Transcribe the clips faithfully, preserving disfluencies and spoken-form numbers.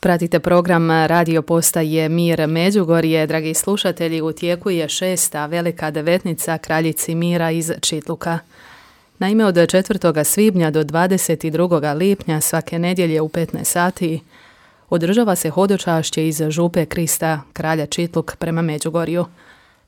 Pratite program radio postaje Mir Međugorje. Dragi slušatelji, u tijeku je šesta velika devetnica Kraljici Mira iz Čitluka. Naime, od četvrtog svibnja do dvadeset drugog lipnja svake nedjelje u petnaest sati održava se hodočašće iz župe Krista kralja Čitluk prema Međugorju.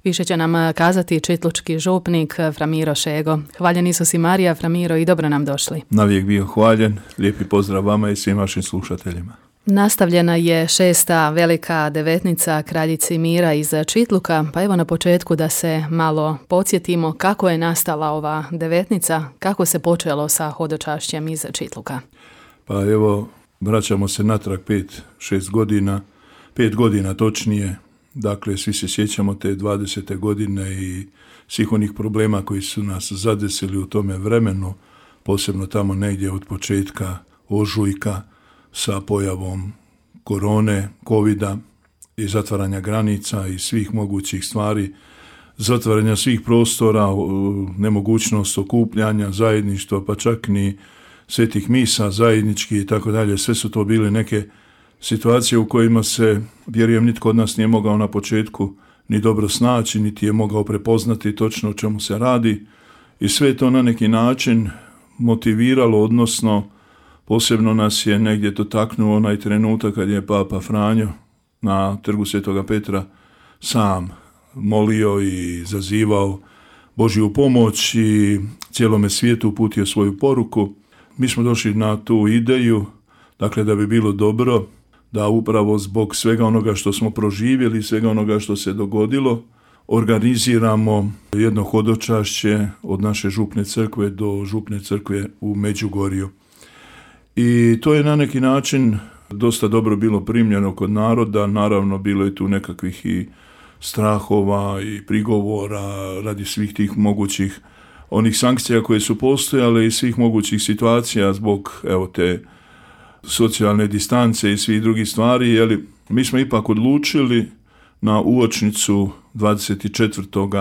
Više će nam kazati čitlučki župnik Framiro Šego. Hvaljen Isus i Marija, Framiro, i dobro nam došli. Navijek bio hvaljen, lijepi pozdrav vama i svim vašim slušateljima. Nastavljena je šesta velika devetnica Kraljici Mira iz Čitluka, pa evo na početku da se malo podsjetimo kako je nastala ova devetnica, kako se počelo sa hodočašćem iz Čitluka. Pa evo, vraćamo se natrag pet, šest godina, pet godina točnije. Dakle, svi se sjećamo te dvadesete godine i svih onih problema koji su nas zadesili u tome vremenu, posebno tamo negdje od početka ožujka sa pojavom korone, covida i zatvaranja granica i svih mogućih stvari, zatvaranja svih prostora, nemogućnost okupljanja, zajedništva, pa čak ni svetih misa zajednički i tako dalje. Sve su to bile neke situacije u kojima se, vjerujem, nitko od nas nije mogao na početku ni dobro snaći, niti je mogao prepoznati točno o čemu se radi. I sve je to na neki način motiviralo, odnosno posebno nas je negdje dotaknuo onaj trenutak kad je Papa Franjo na trgu Svetoga Petra sam molio i zazivao Božju pomoć i cijelome svijetu uputio svoju poruku. Mi smo došli na tu ideju, dakle, da bi bilo dobro da upravo zbog svega onoga što smo proživjeli, svega onoga što se dogodilo, organiziramo jedno hodočašće od naše župne crkve do župne crkve u Međugorju. I to je na neki način dosta dobro bilo primljeno kod naroda. Naravno, bilo je tu nekakvih i strahova i prigovora radi svih tih mogućih onih sankcija koje su postojale i svih mogućih situacija zbog evo te socijalne distance i svih drugih stvari. Jeli, mi smo ipak odlučili na uočnicu dvadeset četvrtog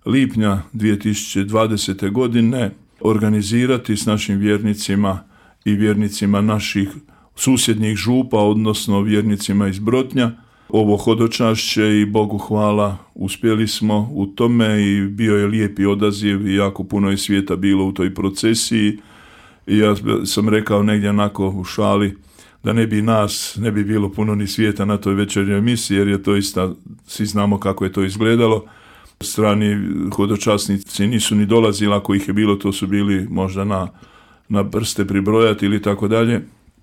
lipnja dvije tisuće dvadesete. godine organizirati s našim vjernicima i vjernicima naših susjednih župa, odnosno vjernicima iz Brotnja, ovo hodočašće i Bogu hvala uspjeli smo u tome i bio je lijepi odaziv i jako puno je svijeta bilo u toj procesiji. I ja sam rekao negdje onako u šali da ne bi nas, ne bi bilo puno ni svijeta na toj večernjoj emisiji, jer je to isto, svi znamo kako je to izgledalo. Strani hodočasnici nisu ni dolazili, ako ih je bilo, to su bili možda na, na prste pribrojati ili tako dalje.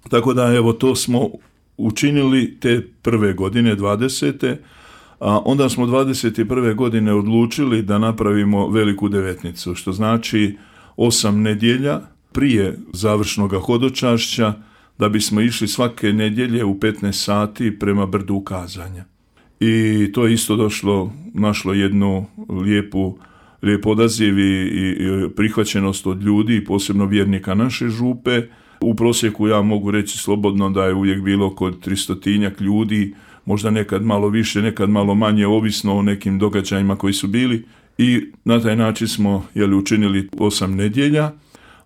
Tako da evo to smo učinili te prve godine, dvadesete. A onda smo dvadeset prve. godine odlučili da napravimo veliku devetnicu, što znači osam nedjelja prije završnog hodočašća, da bismo išli svake nedjelje u petnaest sati prema brdu ukazanja. I to je isto došlo, našlo jednu lijepu, lijep odaziv i, i prihvaćenost od ljudi, posebno vjernika naše župe. U prosjeku ja mogu reći slobodno da je uvijek bilo kod tristotinjak ljudi, možda nekad malo više, nekad malo manje, ovisno o nekim događajima koji su bili. I na taj način smo jeli, učinili osam nedjelja.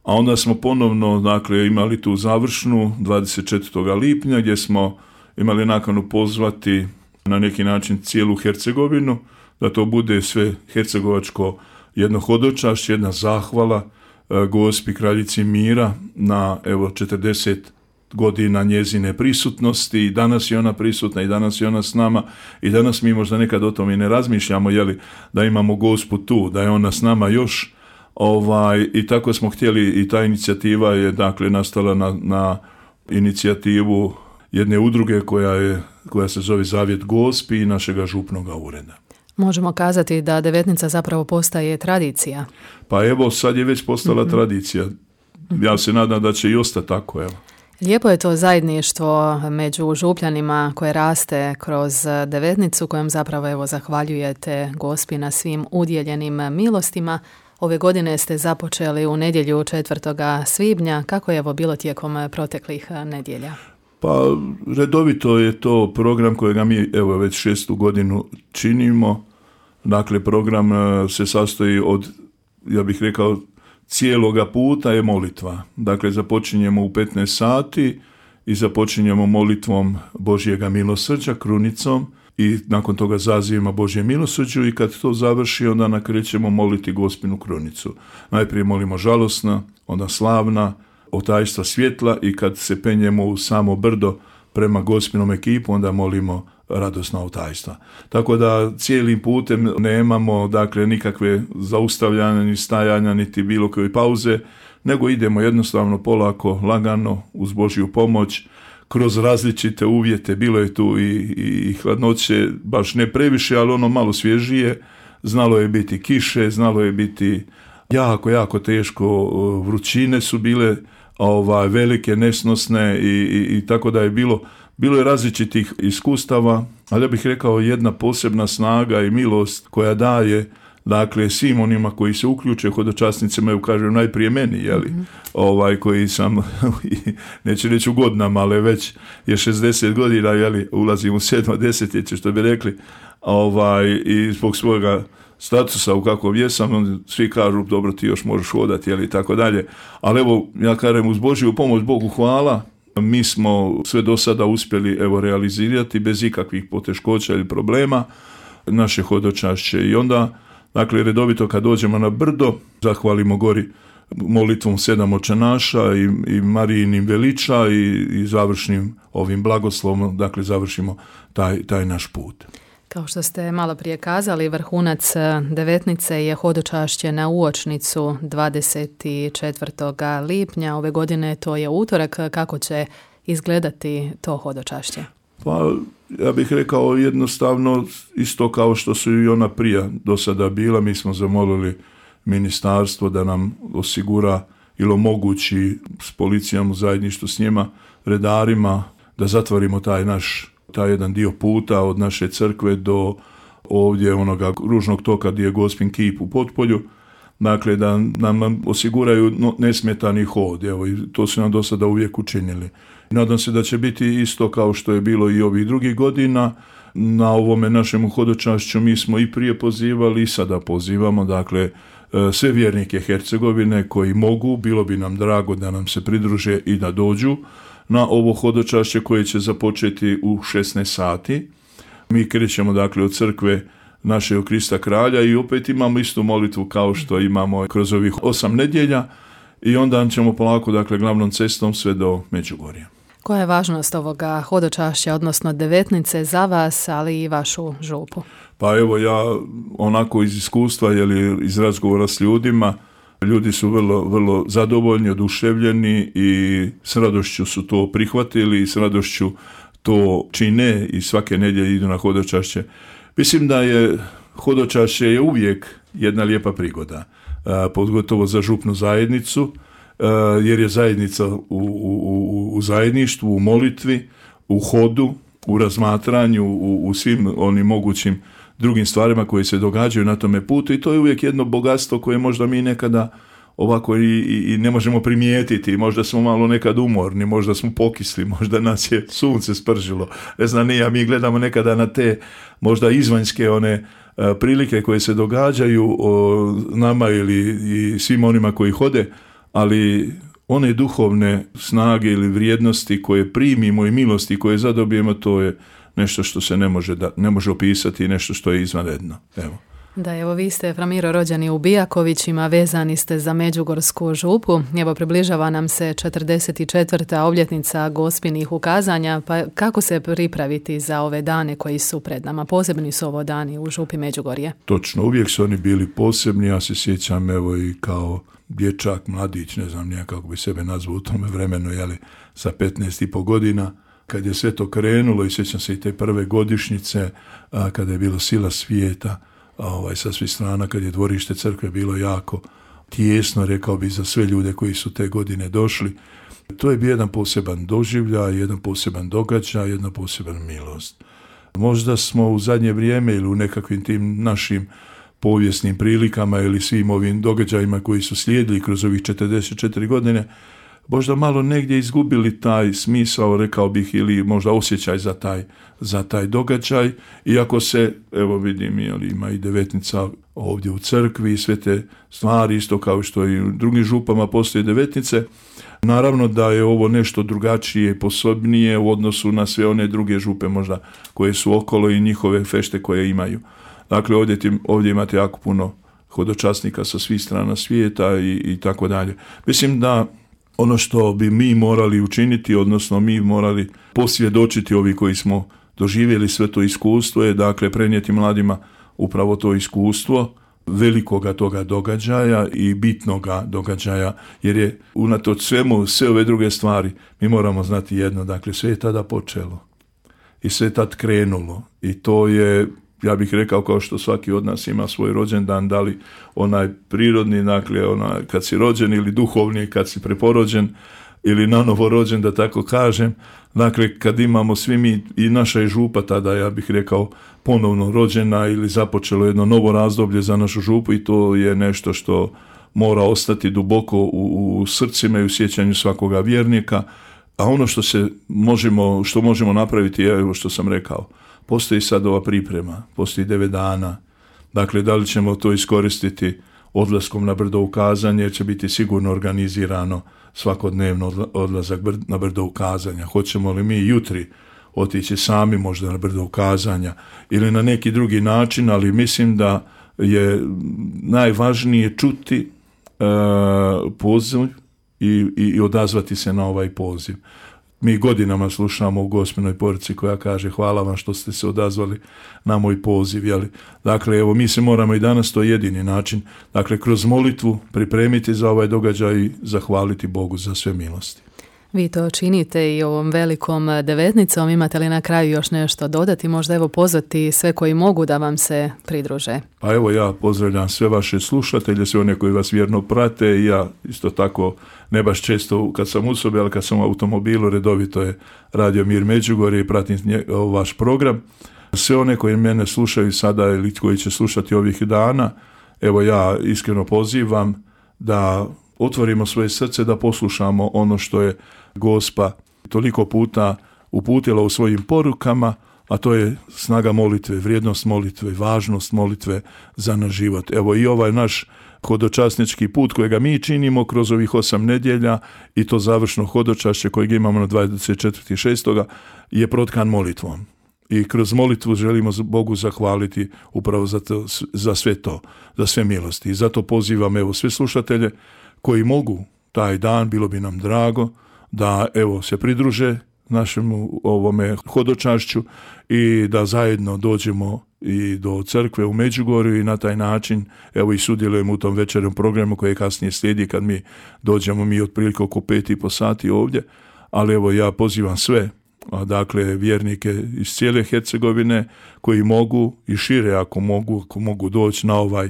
A onda smo ponovno dakle, imali tu završnu dvadeset četvrtog lipnja gdje smo imali nakanu pozvati na neki način cijelu Hercegovinu, da to bude sve hercegovačko jedno hodočašće, jedna zahvala e, Gospi Kraljici Mira na evo četrdeset godina njezine prisutnosti. I danas je ona prisutna i danas je ona s nama i danas mi možda nekad o tome i ne razmišljamo, jeli, da imamo Gospu tu, da je ona s nama još. Ovaj, i tako smo htjeli i ta inicijativa je dakle nastala na, na inicijativu jedne udruge koja, je, koja se zove Zavjet Gospi i našega župnoga ureda. Možemo kazati da devetnica zapravo postaje tradicija. Pa evo sad je već postala mm-hmm. tradicija. Ja se nadam da će i ostati tako. Evo. Lijepo je to zajedništvo među župljanima koje raste kroz devetnicu, kojom zapravo evo zahvaljujete Gospi na svim udjeljenim milostima. Ove godine ste započeli u nedjelju četvrtog svibnja. Kako je evo bilo tijekom proteklih nedjelja? Pa redovito je to program kojega mi evo već šestu godinu činimo. Dakle, program se sastoji od, ja bih rekao, cijeloga puta je molitva. Dakle, započinjemo u petnaest sati i započinjemo molitvom Božjega milosrđa krunicom i nakon toga zazivima Božje milosrđu i kad to završi onda nakrećemo moliti Gospinu krunicu. Najprije molimo žalosna, onda slavna, otajstva svjetla i kad se penjemo u samo brdo prema Gospinom ekipu onda molimo radosna otajstva. Tako da cijelim putem nemamo dakle nikakve zaustavljanja ni stajanja niti bilo koje pauze, nego idemo jednostavno polako, lagano uz Božju pomoć kroz različite uvjete. Bilo je tu i, i, i hladnoće, baš ne previše, ali ono malo svježije. Znalo je biti kiše, znalo je biti jako, jako teško, vrućine su bile ovaj, velike, nesnosne i, i, i tako da je bilo, bilo je različitih iskustava, ali ja bih rekao jedna posebna snaga i milost koja daje dakle svim onima koji se uključe, hodočasnicima, ja kažem najprije meni, jeli, mm-hmm. ovaj, koji sam, neću reći u godinama, ali već je šezdeset godina, jeli, ulazim u sedmo desetljeće, što bi rekli, ovaj, i zbog svojega statusa u kakvom jesam, svi kažu, dobro, ti još možeš hodati, jeli, tako dalje, ali evo, ja kažem, uz Božju pomoć, Bogu hvala, mi smo sve do sada uspjeli, evo, realizirati bez ikakvih poteškoća ili problema naše hodočašće i onda dakle, redovito kad dođemo na brdo, zahvalimo gori molitvom sedam očenaša i, i Marijinim veliča i, i završnim ovim blagoslovom, dakle, završimo taj, taj naš put. Kao što ste malo prije kazali, vrhunac devetnice je hodočašće na uočnicu dvadeset četvrtog lipnja. Ove godine to je utorak. Kako će izgledati to hodočašće? Pa, ja bih rekao jednostavno isto kao što su i ona prije do sada bila. Mi smo zamolili ministarstvo da nam osigura ili omogući s policijom u zajedništvu s njima, redarima, da zatvorimo taj naš, taj jedan dio puta od naše crkve do ovdje onoga ružnog toka gdje je Gospin kip u Potpolju. Dakle, da nam osiguraju nesmetani hod. Evo, i to su nam do sada uvijek učinili. Nadam se da će biti isto kao što je bilo i ovih drugih godina. Na ovome našem hodočašću mi smo i prije pozivali i sada pozivamo, dakle, sve vjernike Hercegovine koji mogu, bilo bi nam drago da nam se pridruže i da dođu na ovo hodočašće koje će započeti u šesnaest sati. Mi krećemo, dakle, od crkve našeg Krista Kralja i opet imamo istu molitvu kao što imamo kroz ovih osam nedjelja i onda ćemo polako, dakle, glavnom cestom sve do Međugorja. Koja je važnost ovoga hodočašća, odnosno devetnice za vas, ali i vašu župu? Pa evo, ja onako iz iskustva, jeli, iz razgovora s ljudima, ljudi su vrlo, vrlo zadovoljni, oduševljeni i s radošću su to prihvatili i s radošću to čine i svake nedjelje idu na hodočašće. Mislim da je hodočašće je uvijek jedna lijepa prigoda, pogotovo za župnu zajednicu, jer je zajednica u, u, u zajedništvu, u molitvi, u hodu, u razmatranju, u, u svim onim mogućim drugim stvarima koje se događaju na tome putu i to je uvijek jedno bogatstvo koje možda mi nekada ovako i, i, i ne možemo primijetiti, možda smo malo nekad umorni, možda smo pokisli, možda nas je sunce spržilo, ne znam nije, mi gledamo nekada na te možda izvanjske one a, prilike koje se događaju o, nama ili i svim onima koji hode, ali one duhovne snage ili vrijednosti koje primimo i milosti koje zadobijemo, to je nešto što se ne može, da, ne može opisati i nešto što je izvanredno. Evo. Da, evo vi ste, Fra Miro, rođeni u Bijakovićima, vezani ste za Međugorsku župu. Evo, približava nam se četrdeset četvrta obljetnica Gospinih ukazanja, pa kako se pripraviti za ove dane koji su pred nama? Posebni su ovo dani u župi Međugorje. Točno, uvijek su oni bili posebni, ja se sjećam evo i kao dječak, mladić, ne znam nije kako bi sebe nazvao u tome vremenu, jeli, sa petnaest i po godina, kad je sve to krenulo i sjećam se i te prve godišnjice, a, kada je bilo sila svijeta, a, ovaj, sa svih strana, kad je dvorište crkve bilo jako tijesno, rekao bi, za sve ljude koji su te godine došli. To je bio jedan poseban doživljaj, jedan poseban događaj, jedna poseban milost. Možda smo u zadnje vrijeme ili u nekakvim tim našim povijesnim prilikama ili svim ovim događajima koji su slijedili kroz ovih četrdeset četiri godine, možda malo negdje izgubili taj smisao, rekao bih, ili možda osjećaj za taj, za taj događaj. Iako se, evo vidim, ima i devetnica ovdje u crkvi i sve te stvari, isto kao što i u drugim župama postoje devetnice, Naravno da je ovo nešto drugačije i posebnije u odnosu na sve one druge župe možda koje su okolo i njihove fešte koje imaju. Dakle, ovdje, tim, ovdje imate jako puno hodočasnika sa svih strana svijeta i, i tako dalje. Mislim da ono što bi mi morali učiniti, odnosno mi morali posvjedočiti ovi koji smo doživjeli sve to iskustvo, je dakle prenijeti mladima upravo to iskustvo velikoga toga događaja i bitnoga događaja, jer je unatoč svemu, sve ove druge stvari, mi moramo znati jedno, dakle sve je tada počelo i sve je tad krenulo i to je, ja bih rekao, kao što svaki od nas ima svoj rođendan, da li onaj prirodni, dakle onaj kad si rođen, ili duhovni kad si preporođen ili nanovo rođen, da tako kažem. Dakle, kad imamo svi mi, i naša je župa tada, ja bih rekao, ponovno rođena ili započelo jedno novo razdoblje za našu župu i to je nešto što mora ostati duboko u, u srcima i u sjećanju svakoga vjernika. A ono što se možemo, što možemo napraviti je evo što sam rekao. Postoji sad ova priprema, postoji devet dana. Dakle, da li ćemo to iskoristiti odlaskom na brdo ukazanje, jer će biti sigurno organizirano svakodnevno odlazak na brdo ukazanja. Hoćemo li mi jutri otići sami možda na brdo ukazanja ili na neki drugi način, ali mislim da je najvažnije čuti uh, poziv i, i odazvati se na ovaj poziv. Mi godinama slušamo u Gospinoj poruci koja kaže hvala vam što ste se odazvali na moj poziv. Jeli? Dakle, evo mi se moramo i danas, to je jedini način, dakle kroz molitvu pripremiti za ovaj događaj i zahvaliti Bogu za sve milosti. Vi to činite i ovom velikom devetnicom. Imate li na kraju još nešto dodati? Možda evo pozvati sve koji mogu da vam se pridruže. Pa evo ja pozdravljam sve vaše slušatelje, sve one koji vas vjerno prate i ja isto tako ne baš često kad sam u sobi, ali kad sam u automobilu redovito je Radio Mir Međugorje i pratim nje, vaš program. Sve one koji mene slušaju sada ili koji će slušati ovih dana, evo ja iskreno pozivam da otvorimo svoje srce, da poslušamo ono što je Gospa toliko puta uputila u svojim porukama, a to je snaga molitve, vrijednost molitve, važnost molitve za naš život. Evo i ovaj naš hodočasnički put kojega mi činimo kroz ovih osam nedjelja i to završno hodočašće kojeg imamo na dvadeset četvrtog šestog je protkan molitvom. I kroz molitvu želimo Bogu zahvaliti upravo za, to, za sve to, za sve milosti. I zato pozivam evo sve slušatelje koji mogu taj dan, bilo bi nam drago da evo se pridruže našemu ovome hodočašću i da zajedno dođemo i do crkve u Međugorju i na taj način evo i sudjelujemo u tom večernjem programu koji kasnije slijedi kad mi dođemo mi otprilike oko pet i po sati ovdje, ali evo ja pozivam sve, dakle vjernike iz cijele Hercegovine koji mogu i šire ako mogu, ako mogu doći na ovaj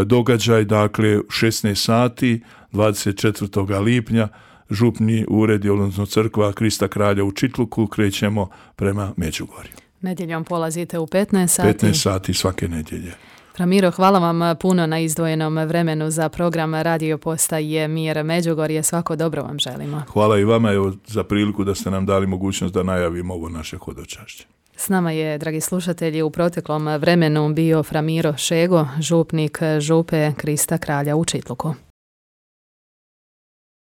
događaj, dakle šesnaest sati dvadeset četvrtog lipnja župni ured, odnosno crkva Krista Kralja u Čitluku, krećemo prema Međugorju. Nedjeljom polazite u petnaest sati. petnaest sati svake nedjelje. Fra Miro, hvala vam puno na izdvojenom vremenu za program Radio Postaje Mir Međugorje. Svako dobro vam želimo. Hvala i vama evo, za priliku da ste nam dali mogućnost da najavimo ovo naše hodočašće. S nama je, dragi slušatelji, u proteklom vremenu bio Fra Miro Šego, župnik župe Krista Kralja u Čitluku.